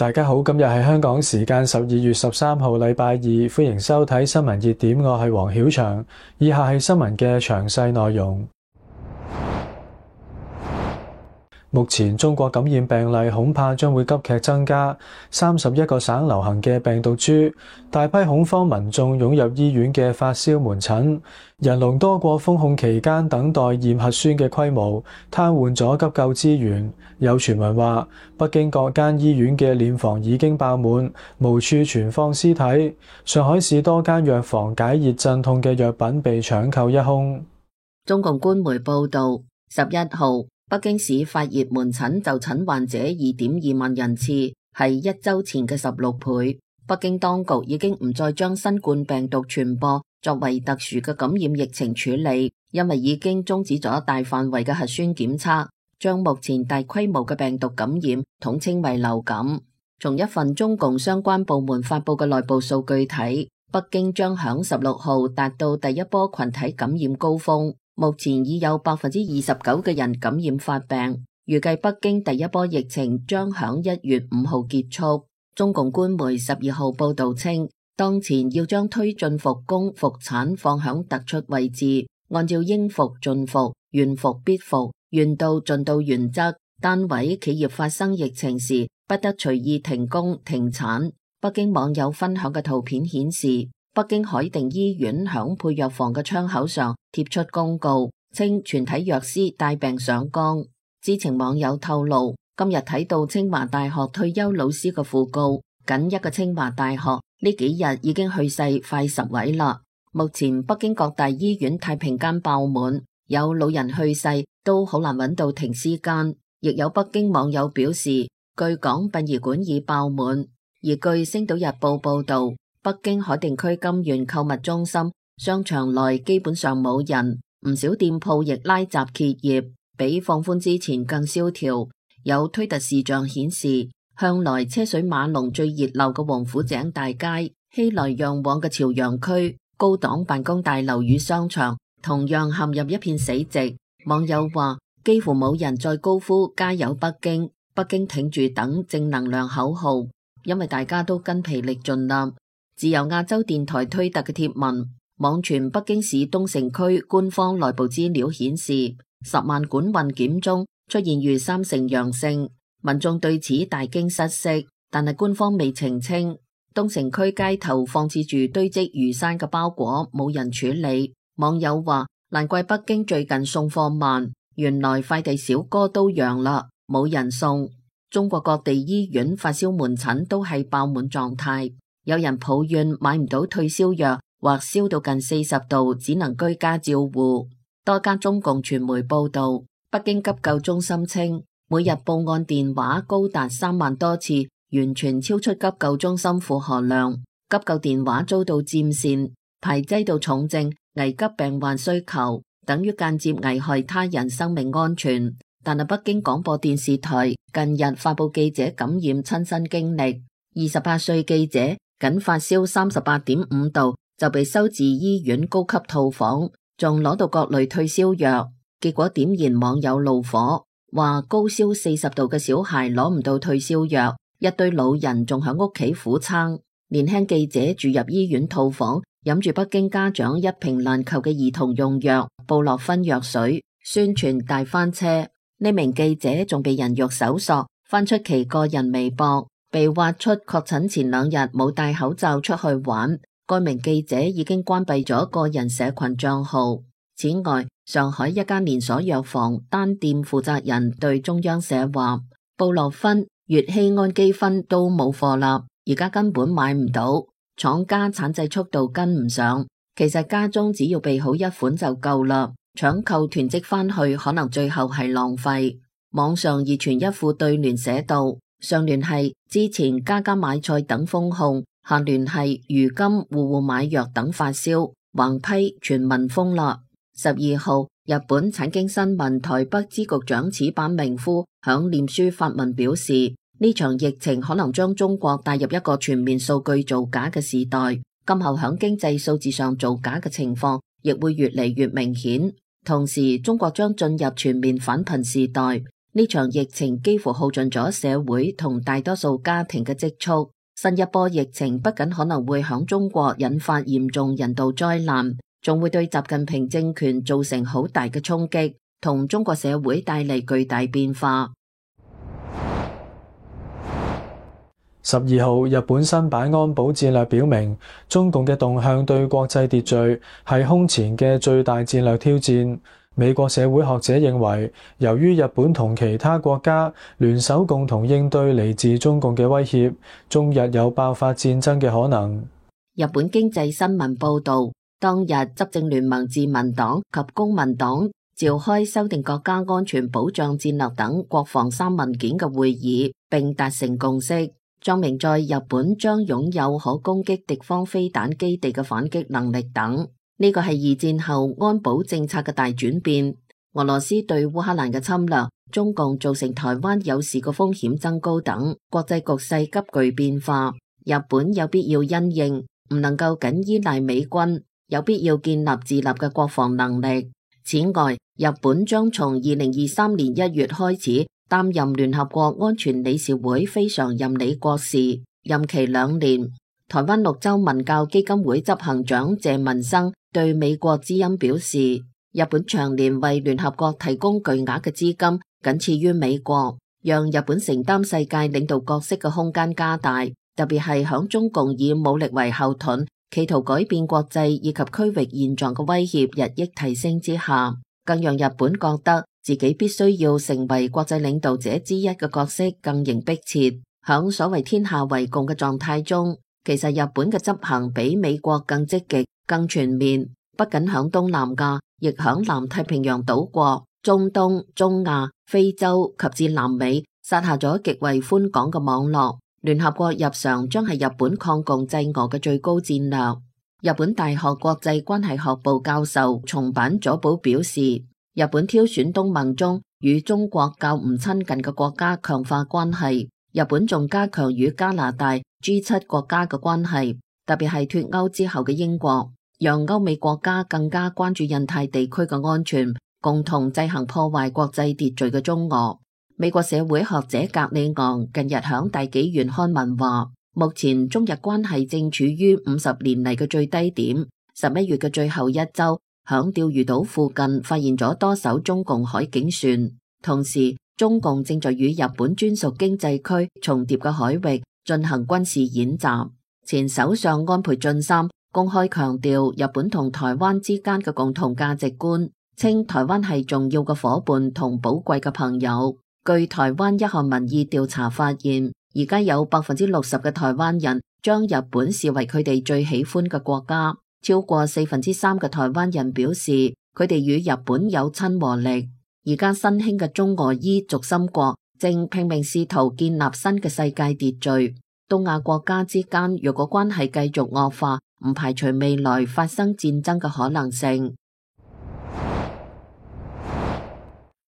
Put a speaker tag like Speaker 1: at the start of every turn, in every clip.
Speaker 1: 大家好，今日係香港時間12月13號禮拜二，歡迎收睇新聞熱點，我係黃曉翔。以下係新聞嘅詳細內容。目前中國感染病例恐怕將會急劇增加，31個省流行嘅病毒株，大批恐慌民眾湧入醫院嘅發燒門診，人龍多過封控期間等待驗核酸嘅規模，癱瘓咗急救資源。有傳聞話，北京各間醫院嘅殮房已經爆滿，無處存放屍體。上海市多間藥房解熱鎮痛嘅藥品被搶購一空。
Speaker 2: 中共官媒報道，11號北京市發熱門診就診患者2.2萬人次，係一周前嘅16倍。北京當局已經唔再將新冠病毒傳播作為特殊嘅感染疫情處理，因為已經終止咗大範圍嘅核酸檢測，將目前大規模嘅病毒感染統稱為流感。從一份中共相關部門發佈嘅內部數據睇，北京將響16號達到第一波群體感染高峰。目前已有29%嘅人感染發病，預計北京第一波疫情將響1月5號結束。中共官媒12號報道稱，當前要將推進復工復產放響突出位置，按照應復盡復、願復必復、願到盡到原則，單位企業發生疫情時不得隨意停工停產。北京網友分享嘅圖片顯示，北京海淀醫院響配藥房嘅窗口上貼出公告，稱全體藥師帶病上崗。知情網友透露，今日睇到清華大學退休老師嘅訃告，僅一個清華大學呢幾日已經去世快10位啦。目前北京各大醫院太平間爆滿，有老人去世都好難揾到停屍間。亦有北京網友表示，據講殯儀館已爆滿。而據星島日報報道，北京海淀區金源購物中心商場內基本上冇人，唔少店鋪亦拉閘歇業，比放寬之前更蕭條。有推特視像顯示，向來車水馬龍最熱鬧嘅王府井大街、熙來攘往嘅朝陽區、高檔辦公大樓與商場同樣陷入一片死寂。網友話，幾乎冇人再高呼加油北京、北京挺住等正能量口號，因為大家都筋疲力盡啦。自由亞洲電台推特嘅貼文，網傳北京市東城區官方內部資料顯示，10萬管運檢中出現逾30%陽性，民眾對此大驚失色，但係官方未澄清。東城區街頭放置住堆積如山嘅包裹，冇人處理。網友話，難怪北京最近送貨慢，原來快遞小哥都陽啦，冇人送。中國各地醫院發燒門診都係爆滿狀態。有人抱怨買唔到退燒藥，或燒到近40度，只能居家照護。多家中共傳媒報道，北京急救中心稱，每日報案電話高達3萬多次，完全超出急救中心負荷量。急救電話遭到佔線，排擠到重症、危急病患需求，等於間接危害他人生命安全。但係北京廣播電視台近日發佈記者感染親身經歷，28歲記者僅發燒38.5度就被收治醫院高級套房，仲攞到各類退燒藥，結果點燃網友怒火，話高燒40度嘅小孩攞唔到退燒藥，一堆老人仲喺屋企苦撐。年輕記者住入醫院套房，飲住北京家長一瓶難求嘅兒童用藥布洛芬藥水，宣傳大翻車。呢名記者仲被人肉搜索，翻出其個人微博，被挖出確診前2日冇戴口罩出去玩。該名記者已經關閉咗個人社群賬號。此外，上海一間連鎖藥房單店負責人對中央社話，布洛芬、乙酰氨基酚都冇貨啦，而家根本買唔到，廠家產製速度跟唔上。其實家中只要備好一款就夠啦。搶購囤積返去，可能最後係浪費。網上熱傳一副對聯寫道：上聯係之前家家買菜等封控，下聯係如今戶戶買藥等發燒，橫批全民封啦。12號，日本產經新聞台北支局長矢板明夫響臉書發文表示，呢場疫情可能將中國帶入一個全面數據造假嘅時代，今後響經濟數字上造假嘅情況亦會越嚟越明顯。同時，中國將進入全面反貧時代，呢場疫情幾乎耗盡咗社會同大多數家庭嘅積蓄。新一波疫情不僅可能會響中國引發嚴重人道災難，仲會對習近平政權造成好大嘅衝擊，同中國社會帶嚟巨大變化。
Speaker 1: 12號，日本新版安保戰略表明，中共嘅動向對國際秩序係空前嘅最大戰略挑戰。美國社會學者認為，由於日本同其他國家聯手共同應對嚟自中共嘅威脅，中日有爆發戰爭嘅可能。
Speaker 2: 日本經濟新聞報導，當日執政聯盟自民黨及公民黨召開修訂國家安全保障戰略等國防三文件嘅會議，並達成共識，載明在日本將擁有可攻擊敵方飛彈基地嘅反擊能力等。呢個係二戰後安保政策嘅大轉變。俄羅斯對烏克蘭嘅侵略，中共造成台灣有事嘅風險增高等，國際局勢急劇變化。日本有必要因應，唔能夠僅依賴美軍，有必要建立自立嘅國防能力。此外，日本將從2023年1月開始擔任聯合國安全理事會非常任理國事，任期2年。台灣綠洲文教基金會執行長謝文生對美國之音表示，日本長年為聯合國提供巨額嘅資金，僅次於美國，讓日本承擔世界領導角色嘅空間加大，特別係響中共以武力為後盾，企圖改變國際以及區域現狀嘅威脅日益提升之下，更讓日本覺得自己必須要成為國際領導者之一嘅角色更形迫切。響所謂天下為共嘅狀態中，其實日本嘅執行比美國更積極、更全面，不僅響東南亞，亦響南太平洋島國、中東、中亞、非洲及至南美，撒下咗極為寬廣嘅網絡。聯合國日常將係日本抗共制俄嘅最高戰略。日本大學國際關係學部教授松坂佐保表示，日本挑選東盟中與中國較唔親近嘅國家強化關係。日本仲加強與加拿大 G7 國家嘅關係，特別係脫歐之後嘅英國，讓歐美國家更加關注印太地區嘅安全，共同制衡破壞國際秩序嘅中俄。美國社會學者格里昂近日響大紀元刊文話，目前中日關係正處於50年嚟嘅最低點。11月嘅最後一周，響釣魚島附近發現咗多艘中共海警船，同時中共正在與日本專屬經濟區重疊嘅海域進行軍事演習。前首相安倍晉三公開強調日本同台灣之間嘅共同價值觀，稱台灣係重要嘅夥伴同寶貴嘅朋友。據台灣一項民意調查發現，而家有60%嘅台灣人將日本視為佢哋最喜歡嘅國家，超過3%嘅台灣人表示佢哋與日本有親和力。而家新興嘅中俄伊軸心國正拼命試圖建立新嘅世界秩序。東亞國家之間若果關係繼續惡化，唔排除未來發生戰爭嘅可能性。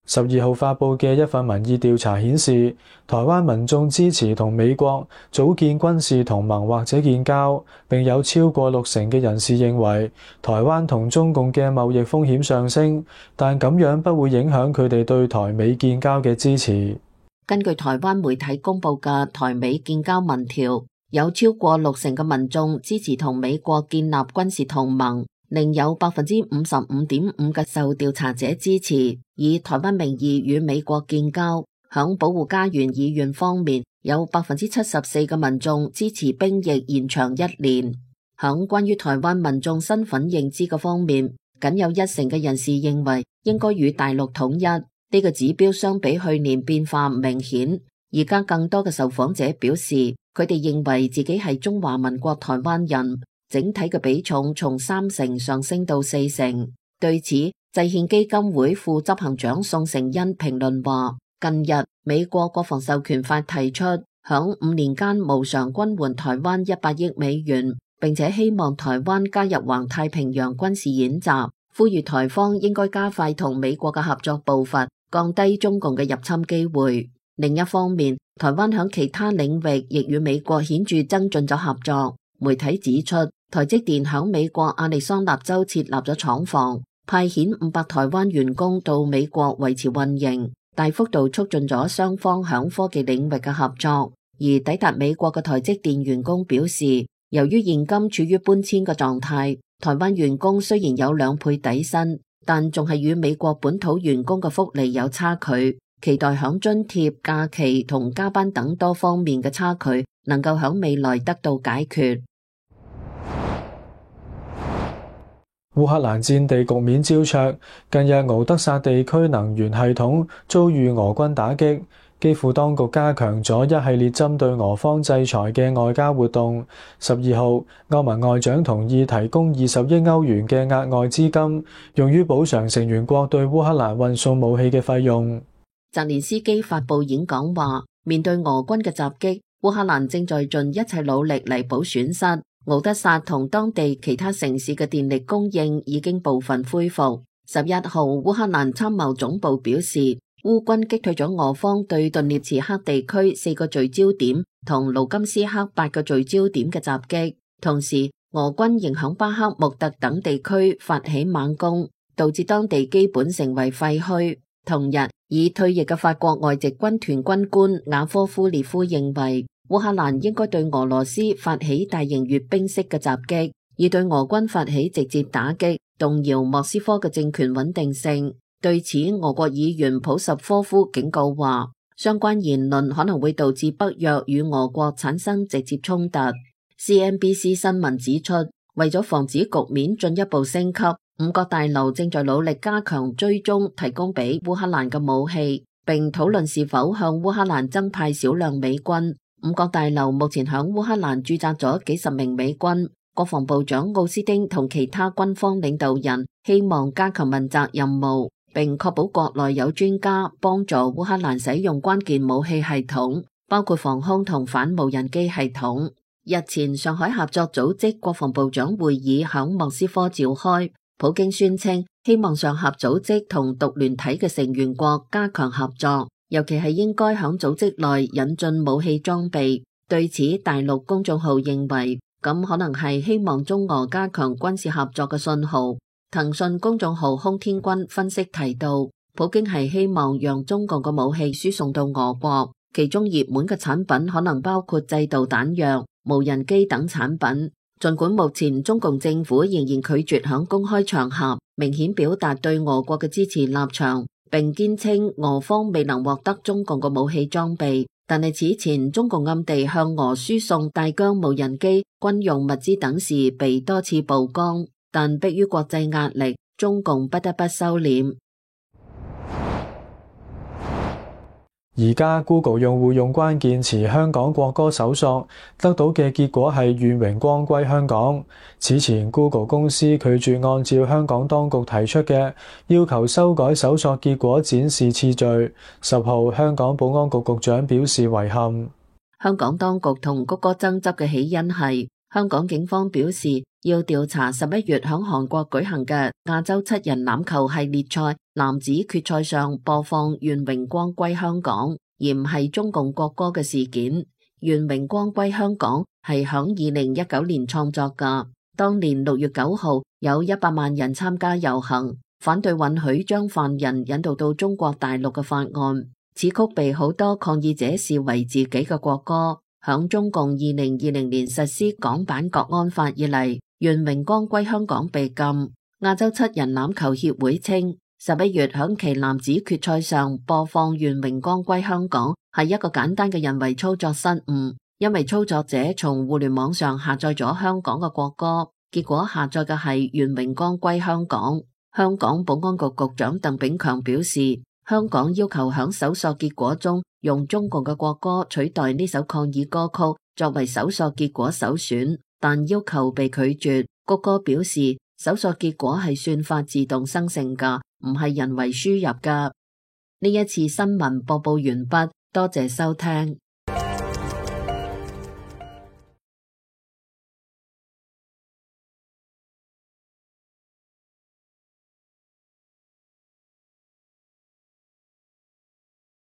Speaker 1: 12號發佈嘅一份民意調查顯示，台灣民眾支持同美國組建軍事同盟或者建交，並有超過60%嘅人士認為台灣同中共嘅貿易風險上升，但咁樣不會影響佢哋對台美建交嘅支持。
Speaker 2: 根據台灣媒體公佈嘅台美建交民調，有超過60%嘅民眾支持同美國建立軍事同盟。另有 55.5% 嘅受調查者支持以台灣名義與美國建交。響保護家園議員方面，有 74% 嘅民眾支持兵役延長1年。響關於台灣民眾身份認知嘅方面，僅有1%嘅人士認為應該與大陸統一。呢個指標相比去年變化唔明顯。而家更多嘅受訪者表示，佢哋認為自己係中華民國台灣人。整體嘅比重從3%上升到4%。對此，制憲基金會副執行長宋承恩評論話，近日美國國防授權法提出，響5年間無償軍援台灣100億美元，並且希望台灣加入環太平洋軍事演習，呼籲台方應該加快同美國嘅合作步伐，降低中共嘅入侵機會。另一方面，台灣響其他領域亦與美國顯著增進咗合作。媒體指出，台積電響美國亞利桑那州設立咗廠房，派遣500台灣員工到美國維持運營。大幅度促進咗雙方響科技領域嘅合作。而抵達美國嘅台積電員工表示，由於現今處於搬遷嘅狀態，台灣員工雖然有2倍底薪，但仲係與美國本土員工嘅福利有差距。期待響津貼、假期同加班等多方面嘅差距能夠響未來得到解決。
Speaker 1: 烏克蘭戰地局面焦灼，近日敖德薩地區能源系統遭遇俄軍打擊，基輔當局加強咗一系列針對俄方制裁嘅外交活動。12號，歐盟外長同意提供20億歐元嘅額外資金，用於補償成員國對烏克蘭運送武器嘅費用。
Speaker 2: 澤連斯基發佈演講話，面對俄軍嘅襲擊，烏克蘭正在盡一切努力彌補損失。敖德薩同當地其他城市嘅電力供應已經部分恢復。11號，烏克蘭參謀總部表示，烏軍擊退咗俄方對頓涅茨克地區4個聚焦點同盧甘斯克8個聚焦點嘅襲擊，同時俄軍仍響巴克穆特等地區發起猛攻，導致當地基本成為廢墟。同日，已退役嘅法國外籍軍團軍官雅科夫列夫認為，烏克蘭應該對俄羅斯發起大型閱兵式嘅襲擊，以對俄軍發起直接打擊，動搖莫斯科嘅政權穩定性。對此，俄國議員普什科夫警告話，相關言論可能會導致北約與俄國產生直接衝突。CNBC 新聞指出，為咗防止局面進一步升級，五角大樓正在努力加強追蹤提供俾烏克蘭嘅武器，並討論是否向烏克蘭增派少量美軍。五角大樓目前響烏克蘭駐紮咗幾十名美軍。國防部長奧斯汀同其他軍方領導人希望加強問責任務，並確保國內有專家幫助烏克蘭使用關鍵武器系統，包括防空同反無人機系統。日前，上海合作組織國防部長會議響莫斯科召開。普京宣稱希望上合組織同獨聯體嘅成員國加強合作，尤其係應該響組織內引進武器裝備。對此，大陸公眾號認為咁可能係希望中俄加強軍事合作嘅信號。騰訊公眾號空天軍分析提到，普京係希望讓中共嘅武器輸送到俄國，其中熱門嘅產品可能包括制導彈藥、無人機等產品。儘管目前中共政府仍然拒絕響公開場合明顯表達對俄國嘅支持立場，並堅稱俄方未能獲得中共嘅武器裝備，但係此前中共暗地向俄輸送大疆無人機、軍用物資等事被多次曝光，但迫於國際壓力，中共不得不收斂。
Speaker 1: 而家 Google 用戶用關鍵詞香港國歌搜索，得到嘅結果係願榮光歸香港。此前 Google 公司拒絕按照香港當局提出嘅要求修改搜索結果展示次序。10號，香港保安局局長表示遺憾。
Speaker 2: 香港當局同谷歌爭執嘅起因係香港警方表示要調查11月響韓國舉行嘅亞洲7人欖球系列賽男子決賽上播放願榮光歸香港，而唔係中共國歌嘅事件。願榮光歸香港係響2019年創作㗎，當年6月9號有100萬人參加遊行，反對允許將犯人引渡到中國大陸嘅法案。此曲被好多抗議者視為自己嘅國歌。響中共2020年實施港版國安法以嚟，願榮光歸香港被禁。亞洲7人欖球協會稱，11月響其男子決賽上播放願榮光歸香港係一個簡單嘅人為操作失誤，因為操作者從互聯網上下載咗香港嘅國歌，結果下載嘅係願榮光歸香港。香港保安局局長鄧炳強表示，香港要求響搜索結果中用中共嘅國歌取代呢首抗議歌曲作為搜索結果首選，但要求被拒絕。谷歌表示，搜索結果係算法自動生成㗎，唔係人為輸入㗎。呢一次新聞播報完畢，多謝收聽。